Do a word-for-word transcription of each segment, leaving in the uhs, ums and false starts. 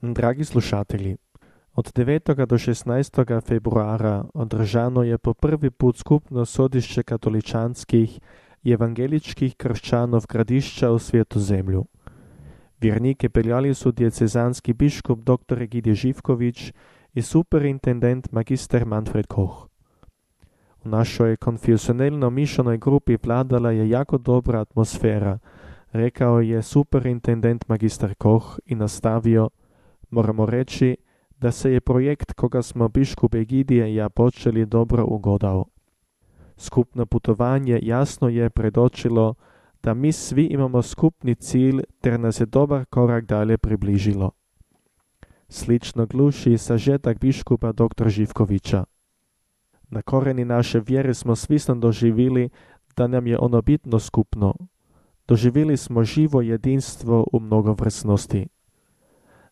Dragi slušatelji, od devetega do šestnajstega februara održano je po prvi put skupno sodišče katoličanskih i evangeličkih kršćanov Gradišća u Svetozemlju. Vjernike peljali su diecezanski biškup dr. Egidije Živković i superintendent magister Manfred Koch. U našoj konfesionalno mišljenoj grupi vladala je jako dobra atmosfera, rekao je superintendent magister Koch i nastavio: moramo reći da se je projekt koga smo biškup Egidije i ja počeli dobro ugodao. Skupno putovanje jasno je predočilo da mi svi imamo skupni cilj ter nas je dobar korak dalje približilo. Slično gluši sažetak biškupa dr. Živkovića. Na koreni naše vjere smo svisno doživili da nam je ono bitno skupno. Doživili smo živo jedinstvo u mnogovrsnosti.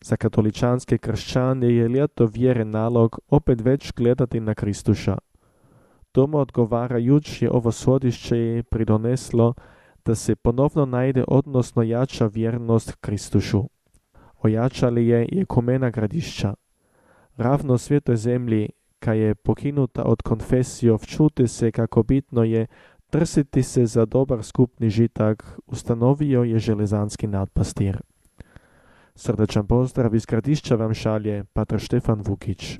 Za katoličanske kršćane je ljeto vjere nalog opet već gledati na Kristuša. Tomu odgovarajući ovo sodišće je pridoneslo da se ponovno najde odnosno jača vjernost Kristušu. Ojačali je i ekumena Gradišća. Ravno Svetoj zemlji, ka je pokinuta od konfesijov, čuti se kako bitno je trsiti se za dobar skupni žitak, ustanovio je železanski nadpastir. Srdečan pozdrav iz Gradišća vam šalje pater Štefan Vukić.